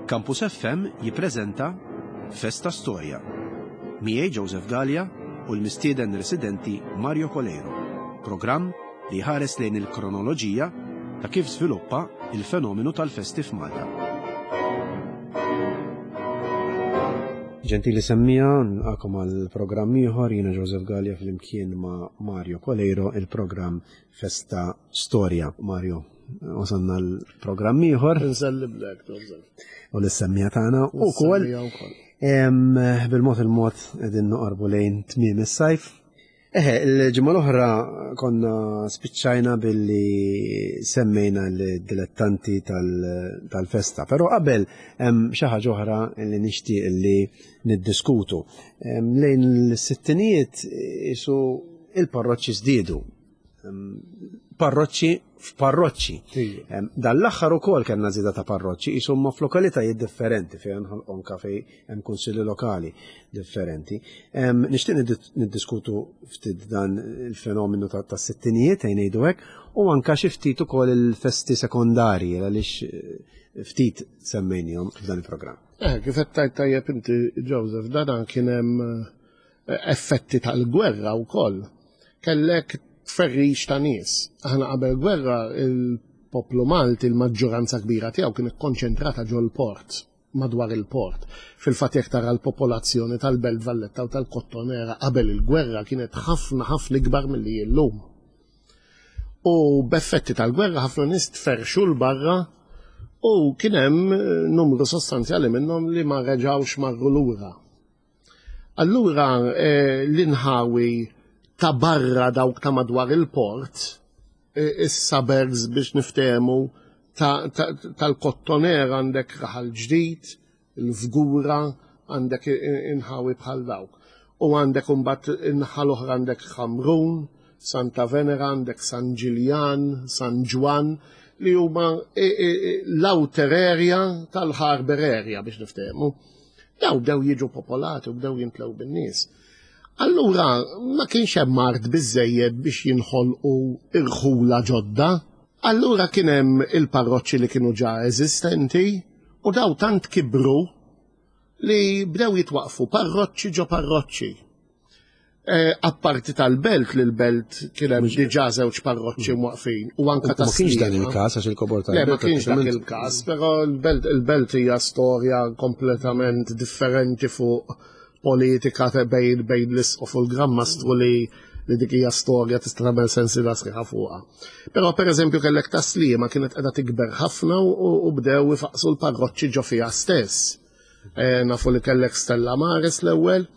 Campus FM jippreżenta Festa Storja. Miegħi Joseph Galea u l-mistieden residenti Mario Coleiro. Programm li jħares lejn il-kronoloġija ta' kif żviluppa il-fenomenu tal-festi f'Malta. Ġentili semmija, nilqakom għal programm ieħor jiena Joseph Galea flimkien ma' Mario Coleiro il-programm Festa Storja. Mario, wasalna l-programm ieħor. Nselliblek, Joseph. U l-semmija tagħna ukoll. Bil-mod il-mod qegħdin noqorbu lejn tmiem is-sajf. Eħe, il-ġimgħa l-oħra konna spiċċajna billi semmejna l-dilettanti tal-festa, però qabel hemm xi ħaġa oħra li nixtieq li niddiskutu. Lejn l-sittinijiet isu il-parroċċi żdiedu. Parroċċi f'parroċċi. Dan l-aħħar ukoll kellna żieda ta' parroċċi qishom ma' f'lokalitajiet differenti fejn anka fejn hemm kunsilli lokali differenti. Nixtieq niddiskutu ftit dan il-fenomenu tas-sittinijiet ejn ngħidu hekk u anka xi ftit ukoll il-festi sekondarji għaliex eh, ftit semmejnihom f'dan il-programm. Eh, kif qed tajt tajjeb inti Joseph, dan kien hemm eh, effetti tal-gwerra wkoll. Kellek tferrix ta' nies. Aħna qabel gwerra il-poplu Malti il-maġġoranza kbira tiegħu kien ikkonċentrata ġol-port madwar il-port. Fil-fatt jekk tara l-popolazzjoni tal-Belt Valletta u tal-Kottonera qabel il-gwerra kienet ħafna ħafna ikbar milli illum. U b'effetti tal-gwerra ħafna nies tferrxu 'l barra u kien hemm numru sostanzjali minnhom li ma reġgħux marru lura. Allura eh, l-inħawi ta' barra dawk ta' madwar il-port, eh, is-suburbs biex niftehmu tal-kottoner għandek raħal ġdid, il-fgura, għandek inħawi bħal dawk. U għandek imbagħad inħal oħra għandek Ħamrun, Santa Venera, għandek San Ġiljan, San Ġwann, li huma l-outer area tal-harbor area biex niftehmu. Daw bdew jiġu popolati u bdew jimtlew bin-nies. Allura ma kienx hemm art biżejjed biex jinħolqu irħula ġodda. Allura kien hemm il-parroċċi li kienu ġa eżistenti u daw tant kibru li bdew jitwaqfu parroċċi ġo parroċċi. Eh, apparti tal-belt li l-belt kien hemm diġà żewġ parroċċi mm. mwaqfin u anka ta' Ma kienx dan il-każ għax il-kobor tal Le, ma kienx dak il-każ, però l-belt il-belt hija storja kompletament differenti fuq politika ta' bejn bejn l-isqof u l-Gran Mastru li li dik hija storja tista' tagħmel sensi la sħiħa fuqha. Però pereżempju kellek taslima kienet qiegħda tikber ħafna u bdew ifaqsu l-parroċċi ġo fiha stess. Eh, nafu li kellek Stella Maris l-ewwel,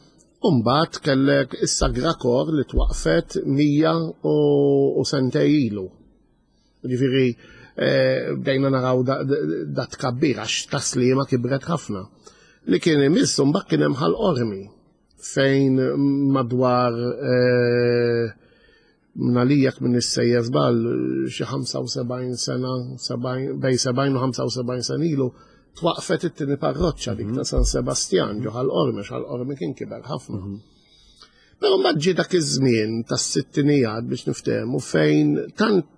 U mbagħad kellek is-Sagra Kor li twaqfet 100 u sentej ilu. Ġifieri eh, bdejna naraw da tkabbir għax taslima kibret ħafna. Li kien imiss mbagħad kien hemm Ħal Qormi fejn madwar eh, Mnalija minn issejjer żball xi 75 sena, bej 70 u 75 sena ilu, twaqfet it-tieni parroċċa dik ta' mhm. San Sebastjan ġo Ħal Qormi, Ħal Qormi kien kiber ħafna. Mhm. Però mbagħad ġie dak iż-żmien tas-sittinijat biex niftehmu fejn tant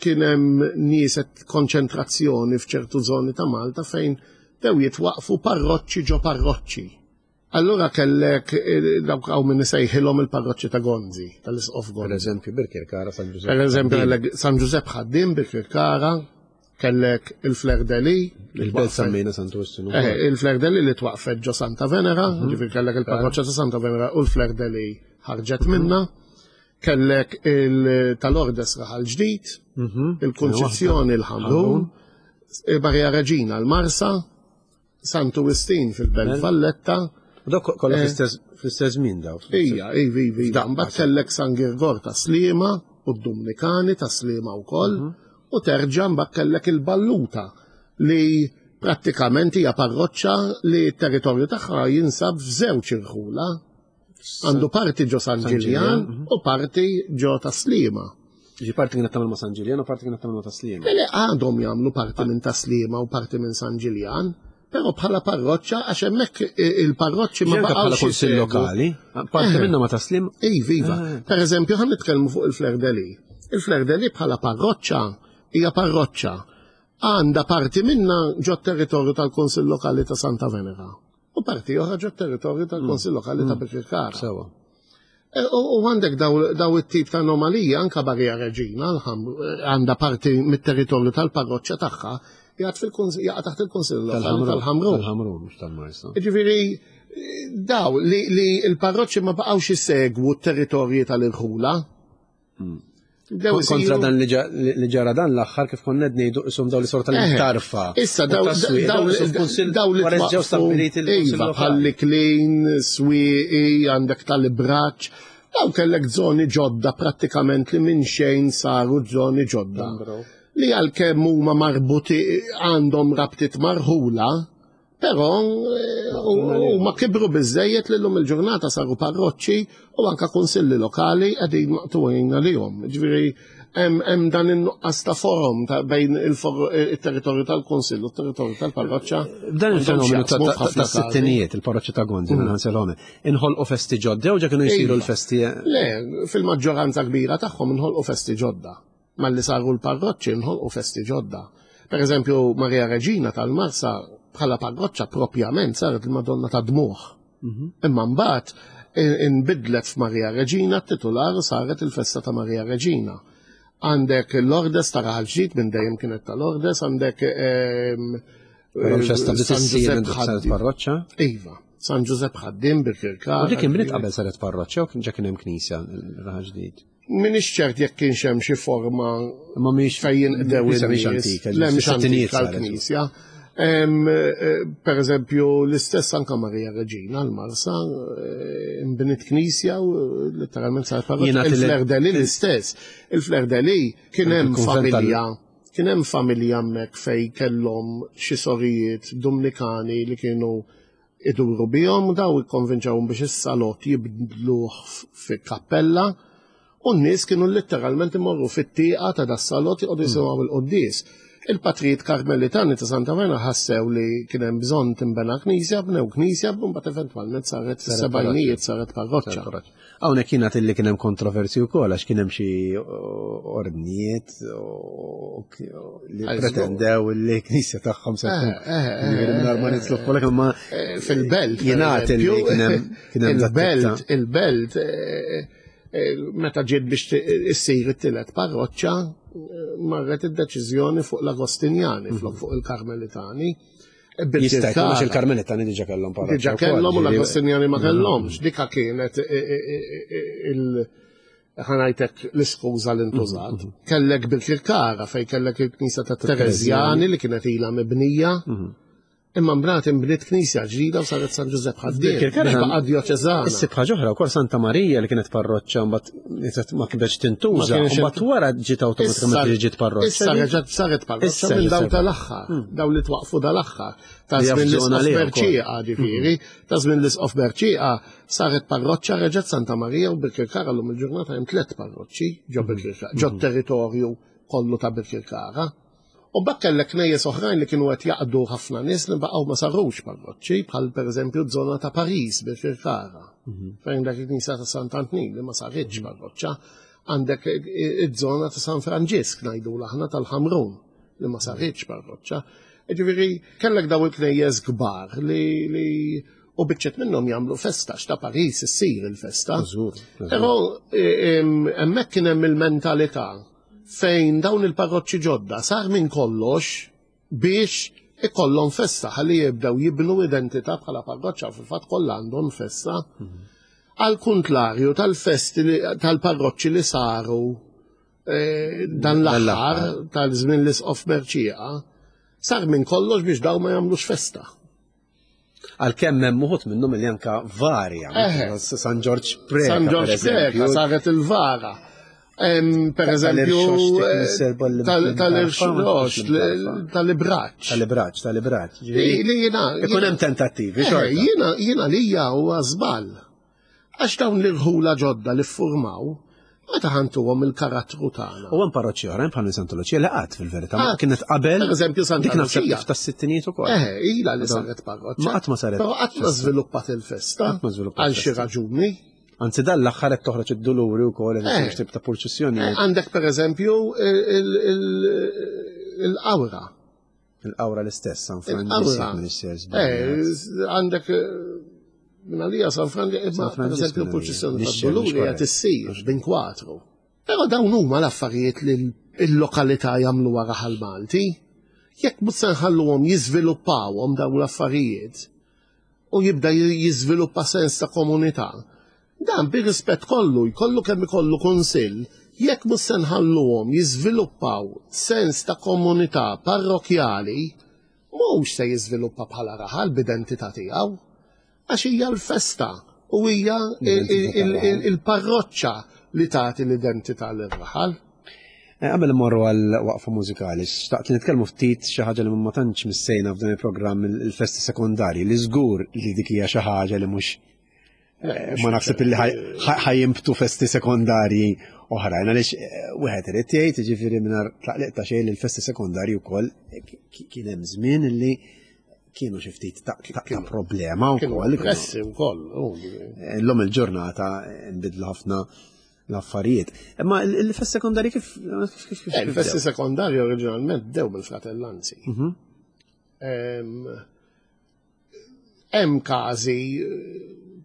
kien hemm nies konċentrazzjoni f'ċertu żoni ta' Malta fejn dew jitwaqfu parroċċi ġo parroċċi. Allura kellek eh, dawk hawn min isejħilhom il-parroċċi ta' Gonzi, tal-Isqof Gonzi. Per eżempju Birkirkara San Ġużepp. Per eżempju kellek San Ġużepp ħaddiem Birkirkara, kellek il-Fler Deli. Il-Belt semmejna Santu Wistin. Eh, il-Fler Deli li twaqfet ġo Santa Venera, mhm. ġifier kellek il-parroċċa ta' Santa Venera u l-Fler Deli ħarġet mhm. minna. Kellek il-tal-Ordes Raħal Ġdid, mhm. il-Kunċizzjoni l-Ħamrun, il-Maria Reġina l-Marsa, Santu Wistin fil-Belt Valletta. U dok kollha eh. fl-istess żmien daw. Ija, ivi, ivi. Mbagħad kellek San Girgor ta' Sliema u d-Dumnikani ta' Sliema wkoll mhm. u terġa' mbagħad kellek il-Balluta li prattikament hija parroċċa li t-territorju tagħha jinsab f'żewġ irħula. Għandu parti ġo San Ġiljan mhm. u parti ġo Taslima. Ġi parti kienet tagħmel ma' San Ġiljan u parti kienet tagħmel ma' Taslima. Le għadhom jagħmlu parti minn Taslima u parti minn San Ġiljan, però bħala parroċċa għax hemmhekk il-parroċċi ma baqgħux. Bħala kunsill lokali, parti eh. minnha ma' Taslim. Iva, iva. Eh. Per eżempju, ħan nitkellmu fuq il-Fler Deli. Il-Fler Deli bħala parroċċa hija parroċċa. Għandha parti minnha ġo territorju tal-Kunsill Lokali ta' Santa Venera u parti oħra ġo territorju tal-Kunsill Lokali ta' Birkirkara. Sewa. E, u għandek daw it-tip ta' anomalija anka Barja Reġina għandha parti mit-territorju tal-parroċċa tagħha jgħat jaqa' taħt il-Kunsill Lokali tal-Ħamrun. Tal-Ħamrun mhux tal-Marsa. Ġifieri daw li l-parroċċi ma baqgħux isegwu t-territorji tal-irħula. Kontra dan li ġara dan l-aħħar kif konna qed ngħidu qishom daw li sorta li tarfa. Issa daw daw li ġew stabbiliti l iva, bħalli klin, swieqi, għandek tal-ibraċ. Daw kellek żoni ġodda prattikament li minn xejn saru żoni ġodda. Li għalkemm huma marbuti għandhom rabtiet marħula, Però eh, huma kibru biżejjed li llum il-ġurnata saru parroċċi u anka kunsilli lokali qegħdin maqtuwin għalihom. Ġifieri hemm dan in-nuqqas ta' forum ta' bejn il-territorju tal-kunsill u t-territorju tal-parroċċa. Dan il-fenomenu ta' sittinijiet, il-parroċċa ta' Gonzi, minn Ħanselhome, inħolqu festi ġodda u ġa kienu jsiru Iva. l-festi. Le, fil-maġġoranza kbira tagħhom inħolqu festi ġodda. Malli saru l-parroċċi nħolqu festi ġodda. Per eżempju, Maria Reġina tal-Marsa bħala parroċċa propjament saret il-Madonna ta' Dmuħ. Mhm. Imma mbagħad inbidlet f'Maria Reġina t-titular saret il-festa ta' Maria Reġina. Għandek l-Ordes ta' Raħal Ġdid minn dejjem kienet tal-Ordes, għandek ehm, Però l-festa bdiet issir minn saret parroċċa? Iva, San Ġużepp Ħaddim bil-Kirkar. U dik inbniet qabel saret parroċċa u kien ġa kien hemm knisja Raħal Ġdid. Minix ċert jekk kienx hemm xi forma Ma mhix fejn jinqdew Knisja mhix in-nies. antika, Le mhix sittinijiet antika saret. l-knisja. Eh, Per eżempju, l-istess anka Marija Reġina l-Marsa eh, nbniet knisja u eh, letteralment saret parroċċa. Jiena til- Il-Fler Deli l-istess. Il-Fler Deli kien hemm Il-kunvent tal- familja kien hemm familja hemmhekk fej kellhom xi sorijiet Dumnikani li kienu iduru bihom u daw ikkonvinċawhom biex is-salott jibdluh fi kappella u n-nies kienu letteralment imorru fit-tieqa ta' das-salott joqogħdu jisimgħu il-quddies. Il-patrijiet Karmelitani ta' Santa Verna ħassew li kien hemm bżonn tinbena knisja, bnew knisja, mbagħad eventwalment saret fis-sebgħinijiet saret parroċċa. Hawnhekk jingħad illi kien hemm kontroversi wkoll għax kien hemm xi ordnijiet li pretendew li knisja tagħhom se tkun. Eh, eh, eh, Jiġifieri mingħajr ma nitlu f'kollox imma Fil-belt. per jingħad illi eżempju, kien hemm kien hemm Il-belt, il-belt, meta ġiet biex issir it-tielet parroċċa, marret id-deċiżjoni fuq l-Agostinjani, flok fuq il-Karmelitani. Jista' jkun għax il-Karmelitani diġà kellhom parroċċa. Diġà wkoll, kellhom u ġifieri- l-Agostinjani ma kellhomx. Dika kienet il- ħanajtek l-iskuża li ntużat. Kellek bil-Kirkara fej kellek il-Knisja ta' Terezjani li kienet ilha mibnija. Imma mbagħad inbniet knisja ġdida u saret San Ġużepp Ħaddiem. Bil-Kirkara Biex baqa' djoċeżana. Issib ħaġa oħra wkoll Santa Marija li kienet parroċċa mbagħad ma kienx tintuża, Ma kienx mbagħad wara ġiet awtomatikament li ġiet parroċċa. Issa reġgħet saret parroċċa Issa minn daw reġgħet tal-aħħar, daw li twaqfu dal-aħħar. Ta' Li żmien jaf żona l-Isqof għaliha wkoll. Berċieqa ġifieri, ta' żmien l-Isqof Berċieqa saret parroċċa reġgħet Santa Marija u Birkirkara llum il-ġurnata hemm tliet parroċċi ġo Birkirkara, ġo territorju kollu ta' Birkirkara. U mbagħad kellek knejjes oħrajn li kienu qed jaqdu ħafna nies li baqgħu ma sarux parroċċi, bħal pereżempju żona ta' Paris Birkirkara. Fejn dak il-knisja ta' Sant'Antnin li ma saritx parroċċa, għandek iż-żona ta' San Franġisk ngħidu aħna tal-Ħamrun li ma saritx parroċċa. Ġifieri kellek daw il-knejjes kbar li, li u biċċet minnhom jagħmlu festa x'ta' Paris issir il-festa. Żgur, żgur. Però hemmhekk kien hemm il-mentalità fejn dawn il-parroċċi ġodda sar minn kollox biex ikollhom festa ħalli jibdew jibnu identità bħala parroċċa u fil-fatt kollha għandhom festa. Għal kontlarju tal-festi li- tal-parroċċi li saru eh, dan l-aħħar tal-żmien l-isqof Merċieqa sar minn kollox biex daw ma jagħmlux festa. Għalkemm hemm uħud minnhom li anka varja. Eħe. San Ġorġ Preka. San per Ġorġ Preka eżempju. saret il-vara. Per eżempju, Tal-irxoxt, eh, mis-serba li- tal-irxoxt, tal-imtarfa. tal-ibraċ. Tal-ibraċ, tal-ibraċ. Li li jina. Ikun hemm tentattivi, Eh, xorta. Jiena jiena lija huwa żball. Għax dawn l-irħula ġodda li ffurmaw, meta ħantuhom il-karattru tagħna. U hemm parroċċi oħrajn bħal Santa Lucia li qatt fil-verità, ma Qatt. kienet qabel. Per eżempju, Santa Dik naħseb Lucia. kif tas-sittinijiet ukoll. Eh, ila li saret parroċċa. Ma qatt ma saret Però qatt ma festa. żviluppat il-festa. Qatt ma żviluppat Għal xi festa. raġuni. Anzi dan l-aħħar qed toħroġ id-duluri wkoll qed Eh. isir tip ta' purċissjonijiet. Għandek per eżempju il-qawra. Il-qawra l-istess, San Franġisk. Eh, għandek eh, minn għalija San Franġisk, imma per eżempju l-purċissjoni tad-Duluri qed issir bin kwatru. Però dawn huma l-affarijiet li l-lokalità jagħmlu wara ħal Malti. Jekk mhux se nħalluhom jiżviluppawhom dawn l-affarijiet u jibda jiżviluppa sens ta' komunità, dan bir-rispett kollu jkollu kemm ikollu kunsill, jekk mhux se nħalluhom jiżviluppaw sens ta' komunità parrokjali, mhux se jiżviluppa bħala raħal b'identità tiegħu. Għax hija l-festa u hija il-parroċċa li tagħti l-identità lir-raħal. Eh, qabel immorru għal waqfa mużikali, xtaqt li nitkellmu ftit xi ħaġa li ma tantx missejna f'dan il-programm il-festi sekondarji li żgur li dik hija xi ħaġa li mhux eh, ma naħseb li ħajjimbtu festi sekondarji oħrajn għaliex eh, wieħed irid jgħid jiġifieri mingħajr tlaqliq ta' xejn li l-festi sekondarji wkoll kien hemm żmien li kienu xi ftit ta' problema wkoll. Pressi wkoll. Illum il-ġurnata nbidlu ħafna l-affarijiet. Imma il-fest sekondarji kif kif kif eh, Il-festi sekondarji oriġinalment bdew mill-fratellanzi. Mhm. Hemm każi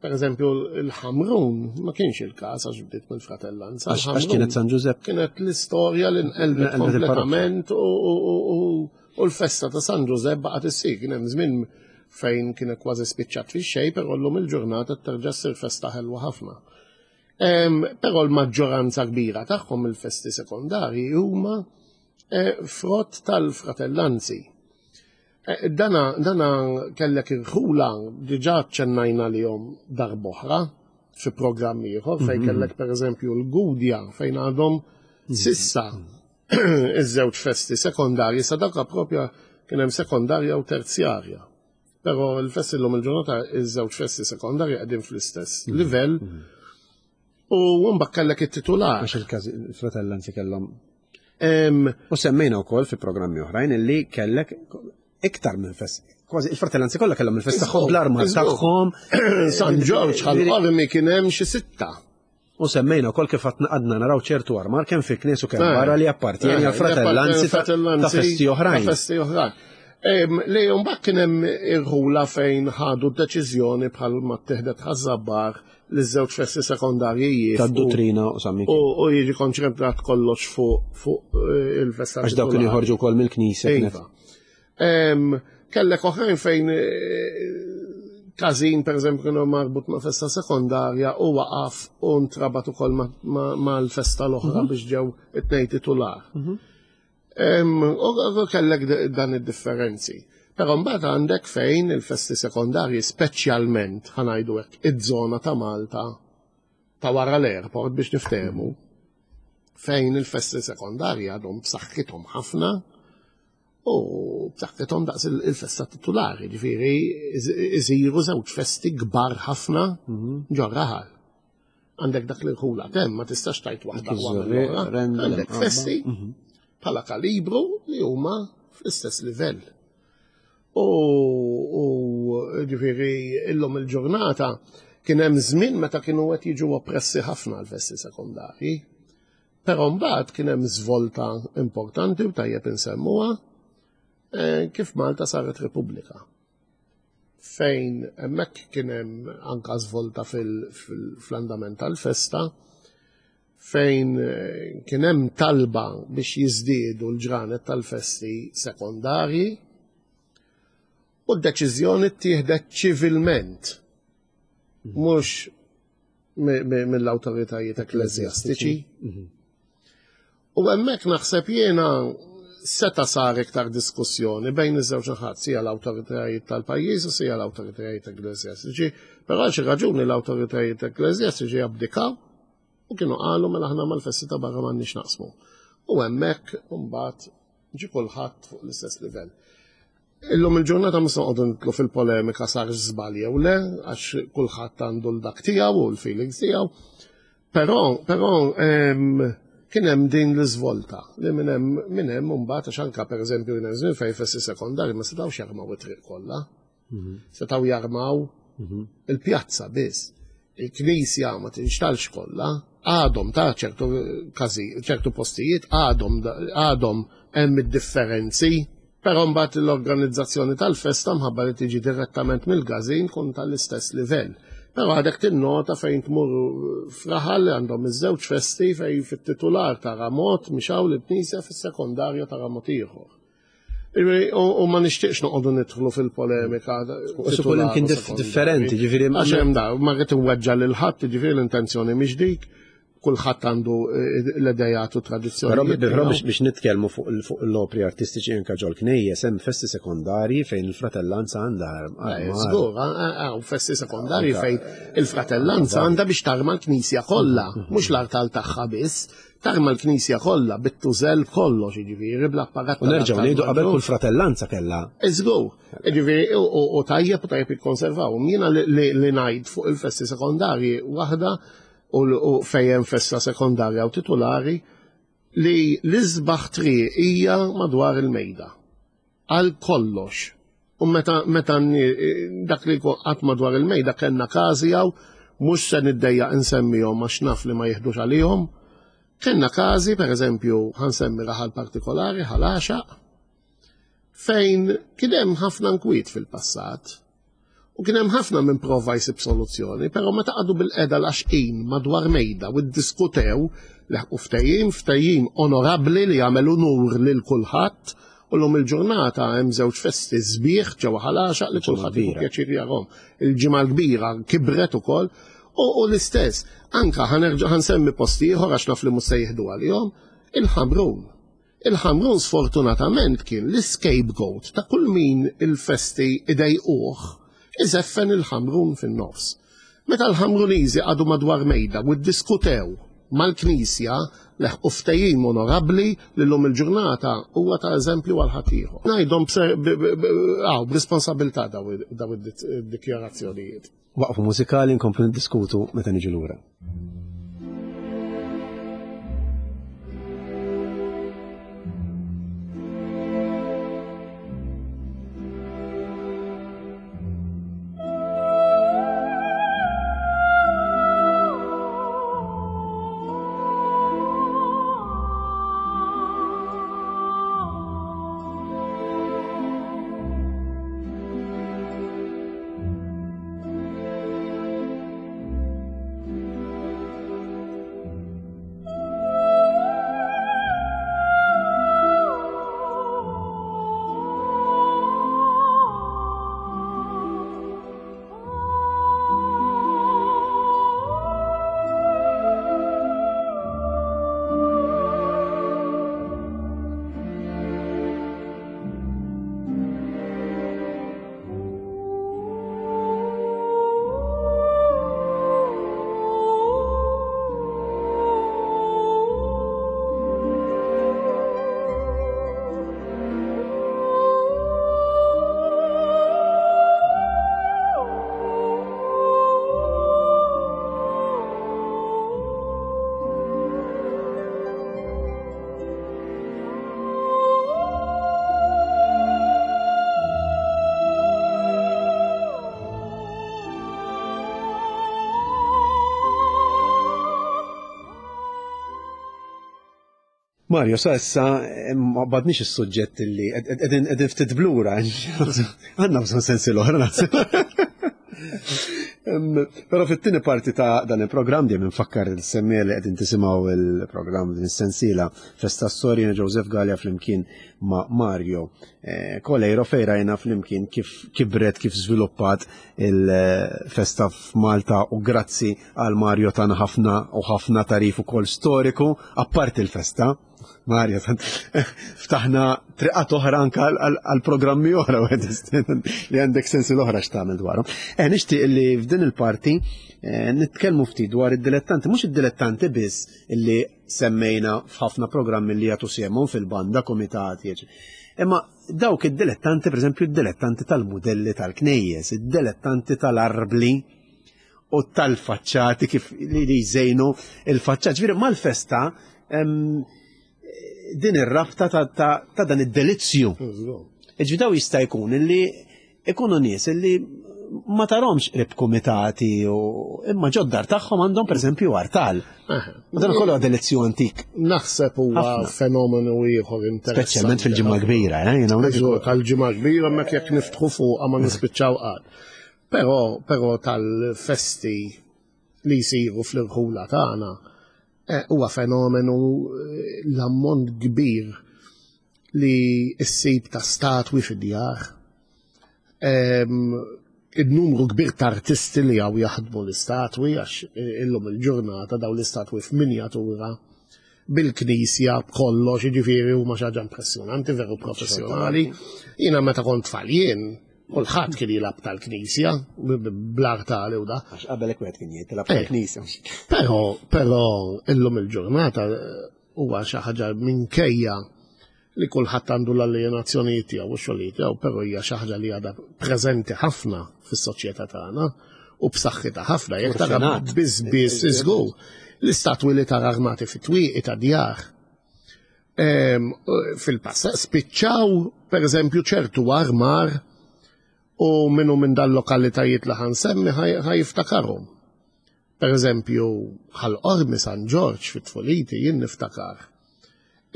per eżempju il-Ħamrun ma kienx il-każ għax bdiet mill-fratellanza. Għax kienet San Ġużepp. Kienet l-istorja li nqelbet kompletament u l-festa ta' San Ġużepp baqgħet issir. Kien hemm żmien fejn kienet kważi spiċċat fix-xejn, però llum il-ġurnata terġa' ssir festa ħelwa ħafna. Però l-maġġoranza kbira tagħhom il-festi sekondarji huma eh, frott tal-fratellanzi. Eh, dana, dana kellek irħula diġà ċennajna li jom darboħra fi programmi ieħor fejn mhm. kellek pereżempju l-Gudja fejn għadhom mhm. sissa iż-żewġ festi sekondarji sa dawka propja kien hemm sekondarja u terzjarja. Però l-festi l-lum il-ġurnata iż-żewġ festi sekondarji qegħdin fl-istess mhm. livell. Mhm. U mbagħad kellek it-titular. Għax il-każ il-fratellanzi kellhom. U semmejna wkoll fi programmi oħrajn illi kellek iktar minn fest. Kważi il-fratellanzi kollha kellhom il-fest tagħhom bl-armar tagħhom. San Ġorġ ħal-qormi kien hemm xi sitta. U semmejna wkoll kif għadna naraw ċertu armar kemm fi knies u kemm eh. barra li appartieni eh, għal fratellanzi ta' festi oħrajn. Ta' festi oħrajn. Li mbagħad kien hemm irħula fejn ħadu d-deċiżjoni bħal ma ttieħdet ħaż-żabbar li żewġ festi sekondarji jieqfu. Tad-duttrina u San Mikiel. U jiġi konċentrat kollox fuq eh, il-festa. Għax dawk kienu joħorġu wkoll mill-knisja. Iva. Kellek oħrajn fejn eh, każin per eżempju kienu marbut ma' festa sekondarja u waqaf u ntrabat ukoll mal-festa l-oħra mhm. biex ġew it-tnejn titular. Mhm. U kellek dan id-differenzi. Però mbagħad għandek fejn il-festi sekondarji speċjalment ħanajdu hekk iż-żona ta' Malta ta' wara l-airport biex niftehmu fejn il-festi sekondarji għadhom b'saħħithom ħafna u b'saħħithom daqs il-festa titulari, ġifieri iżiru żewġ festi kbar ħafna mhm. ġo raħal. Għandek dak li rħula tem, ma tistax tajt waħda Għandek festi mhm. bħala kalibru li huma fl-istess livell. U ġifieri illum il-ġurnata kien hemm żmien meta kienu qed jiġu oppressi ħafna l-festi sekondarji. Però mbagħad kien hemm żvolta importanti u tajjeb insemmuha eh, kif Malta saret Repubblika. Fejn hemmhekk kien hemm anka żvolta fl-andament tal-festa fejn eh, kien hemm talba biex jiżdiedu l-ġranet tal-festi sekondarji u d-deċiżjoni ttieħdet ċivilment mhux mill-awtoritajiet ekkleżjastiċi. Mhm. U hemmhekk naħseb jiena seta sar iktar diskussjoni bejn iż-żewġ naħat, sija l-awtoritajiet tal-pajjiż u sija l-awtoritajiet ekkleżjastiċi, però għal xi raġuni l-awtoritajiet ekkleżjastiċi abdikaw u kienu qalu mela aħna mal-festi ta' barra m'għandniex naqsmu. U hemmhekk imbagħad ġi kulħadd fuq l-istess livell. Illum il-ġurnata mhux noqogħdu nitlu fil-polemika sar żball jew le, għax kulħadd għandu l-dak tiegħu u l-feelings tiegħu. Però, però kien hemm din l-iżvolta li minn hemm minn hemm imbagħad għax anke pereżempju kien hemm żmien fejn fessi sekondarji ma setgħux jarmaw it-triq kollha. Mhm. Setgħu jarmaw mhm. il-pjazza biss. Il-knisja ma tinxtalx kollha, għadhom ta' ċertu każi, ċertu postijiet għadhom għadhom hemm id-differenzi. Però mbagħad l-organizzazzjoni tal-festa mħabba li tiġi direttament mill-gazin tkun tal-istess livell. Però għadek tinnota fejn tmur fraħal li għandhom iż-żewġ festi fejn fit-titular tara mod mhix hawn il-knisja fis-sekondarju tara mod ieħor. U ma nixtieqx noqogħdu nidħlu fil-polemika. U suppost imkien differenti, ġifieri. Għax hemm da, ma rrid inweġġa' lil ħadd, ġifieri l-intenzjoni mhix dik, kulħadd għandu eh, l-idejat u tradizzjoni. Però biex nitkellmu fuq l-opri artistiċi anke ġol knejjes hemm festi sekondarji fejn il-fratellanza għandha. Eh, żgur, hawn festi sekondarji fejn il-fratellanza għandha biex tarma l-knisja kollha, mhm. mhux l-artal tagħha biss, tarma l-knisja kollha bit-tużell kollox, jiġifieri bl-apparat. U nerġgħu ngħidu qabel kull fratellanza kellha. Iżgur, jiġifieri u tajjeb u tajjeb jikkonservaw. Jiena li ngħid fuq il-festi sekondarji waħda u fejn hemm festa sekondarja u titulari li l-isbaħ triq hija madwar il-mejda. Għal kollox. U meta meta dak li qatt madwar il-mejda kellna każi hawn mhux se niddejjaq insemmihom għax naf li ma jiħdux għalihom. Kellna każi, pereżempju, ħansemmi raħal partikolari, Ħal Għaxaq, fejn kien hemm ħafna nkwiet fil-passat. U kien hemm ħafna minn prova jsib soluzzjoni, però meta qagħdu bil-qeda l-għaxqin madwar mejda u ddiskutew, leħqu ftehim, ftehim onorabbli li jagħmel unur lil kulħadd, u llum il-ġurnata hemm żewġ festi sbieħ ġewwa Ħal Għaxaq li kulħadd jieħu pjaċir jarhom. Il-Ġimgħa l-Kbira kibret ukoll u l-istess, anka ħanerġa' ħansemmi post ieħor għax naf li mhux se jieħdu għalihom, il-Ħamrun. Il-Ħamrun sfortunatament kien l-iscapegoat ta' kull min il-festi idejquh iżeffen il-Ħamrun fin-nofs. Meta l-Ħamruniżi qagħdu madwar mejda u ddiskutew mal-Knisja leħqu ftehim onorabbli li llum il-ġurnata huwa ta' eżempju għal ħaddieħor. Ngħidhom b'responsabilità daw id-dikjarazzjonijiet. Waqfu mużikali nkomplu niddiskutu meta niġu lura. Mario, sa issa eh, ma badniex is-suġġett li qegħdin ftit blura. Għandna bżonn sensi l-oħra naħseb. Però fit-tieni parti ta' dan il-programm dejjem infakkar il-semmiegħa li qegħdin tisimgħu il-programm din is-sensiela Festa Storja Joseph Galea flimkien ma' Mario eh, Coleiro fejn rajna flimkien kif kibret, kif żviluppat il-festa f'Malta u grazzi għal Mario tana ħafna u ħafna tarif ukoll storiku apparti l-festa. Mario, ftaħna triqat oħra anka għal programmi oħra li għandek sensi l-oħra x'tagħmel dwarhom. Eh, nixtieq li f'din il-parti eh, nitkellmu ftit dwar id-dilettanti, mhux id-dilettanti biss illi semmejna f'ħafna programmi li jagħtu sehemhom fil-banda, komitati, Imma dawk id-dilettanti, pereżempju, id-dilettanti tal-mudelli tal-knejjes, id-dilettanti tal-arbli, u tal-faċċati kif li jżejnu il-faċċat. Ġifieri mal-festa din ir-rabta ta' dan id-delizzju. Ġifieri daw jista' jkun illi ikunu nies illi ma tarhomx qrib kumitati u imma ġoddar tagħhom għandhom pereżempju artal. U dan kollu delizzju antik. Naħseb huwa fenomenu ieħor interessanti. Speċjalment fil-ġimgħa kbira, eh, jiena Tal-ġimgħa kbira mek jekk niftħu fuqha ma nispiċċaw qatt. Però però tal-festi li jsiru fl-irħula tagħna eh, huwa fenomenu eh, l-ammont kbir li ssib ta' statwi fid-djar. Il-numru kbir ta' artisti li għaw jaħdmu l-istatwi, għax eh, illum il-ġurnata daw l-istatwi f'minjatura bil-knisja b'kollox, jiġifieri huma xi ħaġa impressjonanti, veru professjonali. Jiena meta kont tfal jien, kulħadd kien jilgħab tal-knisja bl-artali u da. Għax qabel hekk wieħed kien jilgħab tal-knisja. Però, però illum il-ġurnata eh, huwa xi ħaġa minkejja li kulħadd għandu l-alienazzjonijiet tiegħu u x-xogħlijiet tiegħu, però hija xi ħaġa li għadha preżenti ħafna fis-soċjetà tagħna u b'saħħitha ħafna jekk tara biss biss iżgur. L-istatwi li tara armati fit-twieqi ta' djar ehm, fil-passat spiċċaw pereżempju ċertu armar u minnu minn dal-lokalitajiet li ħansemmi ħajiftakarhom. Per eżempju, Ħal Qormi San Ġorġ fit-tfuliti jien niftakar.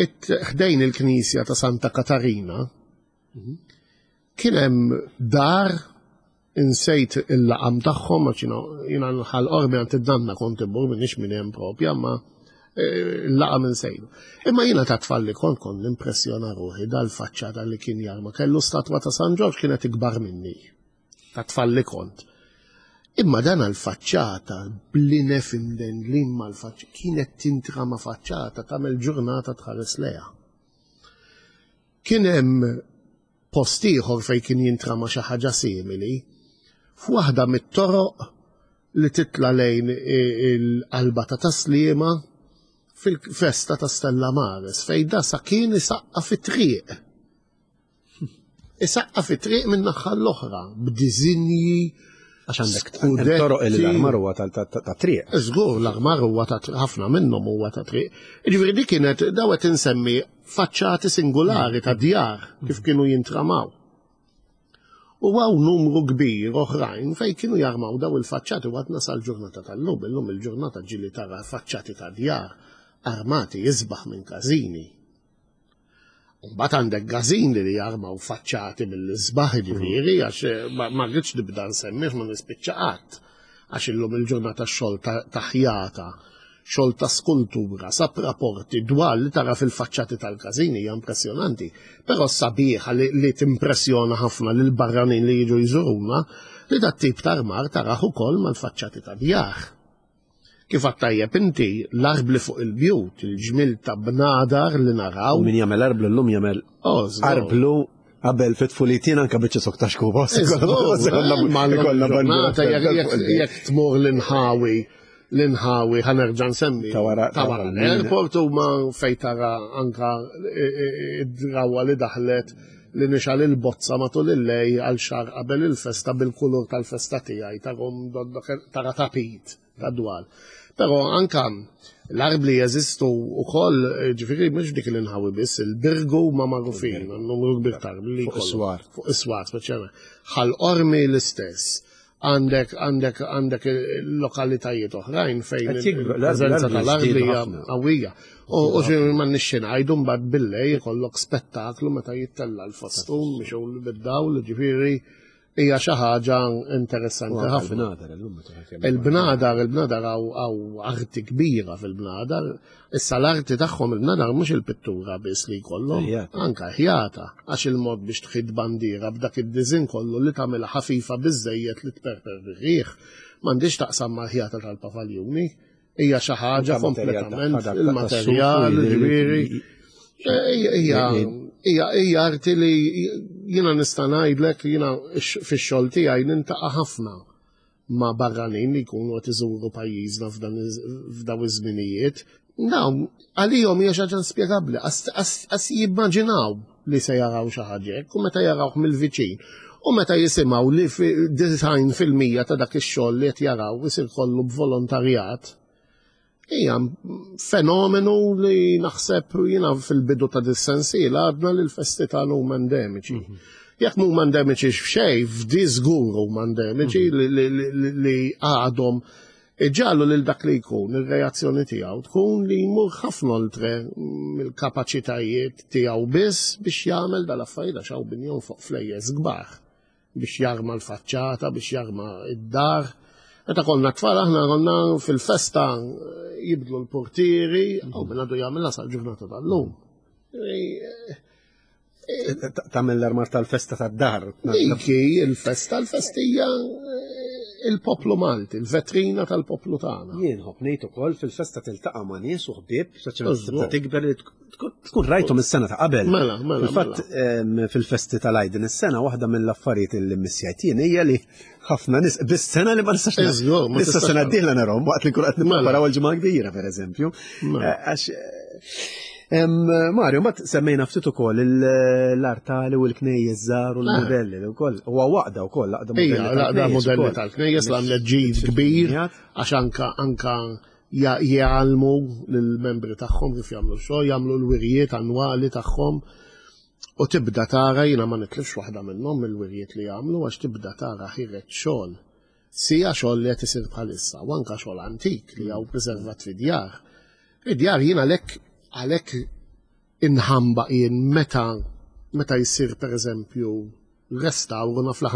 Ħdejn il-knisja ta' Santa Katarina kien hemm dar insejt il-laqam tagħhom għax jiena Ħal Qormi għand id-danna kont immur minix minn hemm propja, ma eh, il-laqam insejtu. Imma jiena ta' tfal li kont kont nimpressjona ruħi dal-faċċata li kien jarma kellu statwa ta' San Ġorġ kienet ikbar minni. ta' tfal li kont. Imma dan għal-faċċata, blinef imdendlin mal-faċċata, kienet tintra ma' faċċata tagħmel ġurnata tħares leha. Kien hemm post ieħor fejn kien jintrama xi ħaġa simili, f'waħda mit-toroq li titla lejn il-qalba ta' Tasliema fil-festa ta' Stella Maris fejn da sa kien isaqqa fit-triq. Isaqqa fi triq minn naħa l-oħra b'diżinji Għax għandek toroq li l-armar huwa ta' triq. Żgur l-armar huwa ta' ħafna minnhom huwa ta' triq. Jiġifieri dik kienet daw qed insemmi faċċati singolari ta' djar kif kienu jintramaw. U għaw numru kbir oħrajn fej kienu jarmaw daw il-faċċati u għadna sal-ġurnata tal-lum, illum il-ġurnata ġili tara faċċati ta' djar armati jisbaħ minn każini. Mbagħad għandek gażini li jarmaw faċċati mill-isbaħ ġifieri għax eh, ma rridx nibda nsemmi ma nispiċċa qatt għax illum il-ġurnata xogħol ta' ħjata, xogħol ta' skultura, sab rapporti dwar li tara fil-faċċati tal-każini hija impressjonanti. Però sabiħa li, li timpressjona ħafna lil barranin li jiġu jżuruna li dat tip ta' armar taraħ ukoll mal-faċċati ta' djar. Kif għadt tajjeb inti, l-arbli fuq il-bjut, il-ġmiel ta' bnadar li naraw. Min jagħmel arblu llum jagħmel oh, arblu qabel fit tfulitin anka biċċa sok ta' xkuba. Jekk tmur l-inħawi, l-inħawi ħanerġa' nsemmi. Ta' wara l-airport u ma fej tara anka id-drawa li daħlet li nixal il-bozza matul il-lej għal xahar qabel il-festa bil-kulur tal-festa tiegħi tara tapit ta' dwal. Però anka l-arbli jeżistu wkoll, ġifieri mhux dik l-inħawi biss, il-birgu ma magħrufin, numru kbir ta' arbli. Fuq is-swar. Fuq is-swar, speċjalment. Ħal qormi l-istess għandek għandek għandek lokalitajiet oħrajn fejn il-preżenza tal-arbli hija qawwija. U xi ma nixxi ngħidu mbagħad billej ikollok spettaklu meta jittella l-fastun biex bid-dawl, ġifieri hija xi ħaġa interessanti ħafna. Il-bnadar, il-bnadar għaw arti kbira fil-bnadar. Issa l-arti tagħhom il-bnadar mhux il-pittura biss li jkollhom, anka ħjata, għax il-mod biex tħid bandiera b'dak id-diżin kollu li tagħmilha ħafifa biżejjed li tperper bir-riħ, m'għandix taqsam mal-ħjata tal-pavaljuni. Hija xi ħaġa kompletament il-materjal, ġifieri. Hija arti li jiena nista' ngħidlek jiena fix-xogħol tiegħi nintaqa' ħafna ma' barranin li jkunu qed iżuru pajjiżna f'daw iż-żminijiet. Dawn għalihom hija xi ħaġa inspjegabbli, qas jimmaġinaw li se jaraw xi ħaġa hekk u meta jarawh mill-viċin u meta jisimgħu li 90% ta' dak ix-xogħol li qed jaraw isir kollu b'volontarjat, hija fenomenu li naħseb jiena fil-bidu ta' dis-sensiela għadna li l-festi tagħna huma endemiċi. Mhm. Jekk mhuma endemiċi f'xejn, f'di żgur huma endemiċi mhm. li għadhom iġallu lil dak li jkun ir-reazzjoni tiegħu tkun li jmur ħafna oltre mill-kapaċitajiet tiegħu biss biex jagħmel dal-affarijiet għax hawn min jonfoq flejjes kbar biex jarma l-faċċata, biex jarma id-dar. Meta konna tfal aħna konna fil-festa jibdlu l-portieri, u minn għadu jagħmilha sal-ġurnata tal-lum. Tagħmel l-armar tal-festa tad-dar. Dik il-festa, l-festija eh, il-poplu Malti, il-vetrina tal-poplu tagħna. Jien ħobb ngħid ukoll fil-festa tiltaqa' ma' nies u ħbieb, saċ tikber li tkun rajthom is-sena ta' qabel. Mela, mela. Fil-fatt mela. fil-festi tal-Għid din is-sena waħda mill-affarijiet li missjajt jien hija li ħafna nies bis-sena li ma nistax. Issa sena d-dieħla narhom waqt li nkun qed mela. nippreparaw il-ġimgħa kbira pereżempju. Mela. Eh, għax Mario, ma semmejna ftit ukoll l-artali u l-knejjes żgħar u l-modelli wkoll. Huwa waqda wkoll laqda modelli. Laqda modelli tal-knejjes l-għamlet ġid kbir għax anka anka jgħallmu lill-membri tagħhom kif jagħmlu xogħol, jagħmlu l-wirjiet annwali tagħhom. U tibda tara jiena ma nitlifx waħda minnhom mill-wirjiet li jagħmlu għax tibda tara ħiret xogħol. Sija xogħol li qed isir bħalissa u anka xogħol antik li hawn preservat fid-djar. Id-djar jien għalhekk għalhekk inħamba jien meta meta jsir pereżempju restawru naf li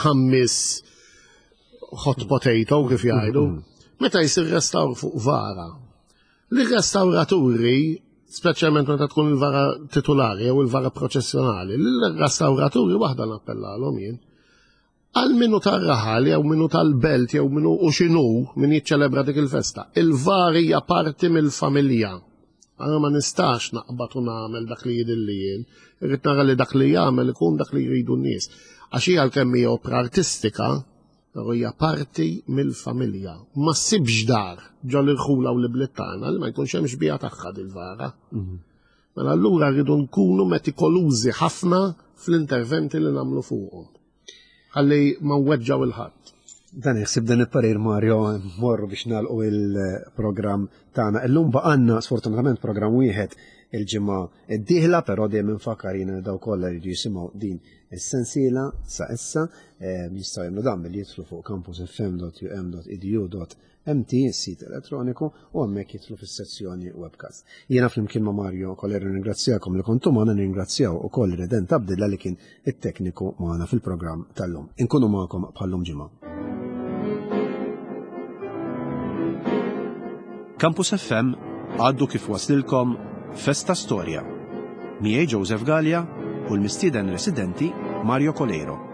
ħammis hot potato kif jgħidu. Meta jsir restawr fuq vara, li restawraturi, speċjalment meta tkun il-vara titulari jew il-vara proċessjonali, l-restawraturi waħda nappellalhom jien. Għal minu tar-raħal jew minu tal-belt jew minu u x'inhu min jiċċelebra dik il-festa. Il-var hija parti mill-familja. Għana ma nistax naqbad u nagħmel dak li jidilli jien. Irrid nara li dak li jagħmel ikun dak li jridu n-nies. Għax hija għalkemm hija opra artistika, però hija parti mill-familja. Ma ssibx dar ġol irħula u l-ibliet tagħna li ma jkunx hemm xbieha tagħha dil-vara. Mhm. Mela allura rridu nkunu metikolużi ħafna fl-interventi li nagħmlu fuqhom. Ħalli ma nweġġaw il-ħadd. Dan iħsib dan il-parir Mario morru biex nagħlqu il-programm tagħna. Illum baqanna sfortunatament programm wieħed il-ġimgħa d-dieħla, però dejjem infakkar jiena daw kollha jridu jisimgħu din is-sensiela sa issa eh, jistgħu jagħmlu dan billi jidħlu fuq campusfm.um.edu. MT, is-sit elettroniku, u hemmhekk jidħlu fis-sezzjoni webcast. Jiena flimkien ma' Mario Kolero nirringrazzjakom li kontu magħna nirringrazzjaw ukoll Redent Abdilla li kien it-tekniku magħna fil-programm tal-lum. Inkunu magħkom bħallum ġimgħa. Campus FM għaddu kif waslilkom Festa Storja. Miegħi Joseph Gallia u l-mistieden residenti Mario Coleiro.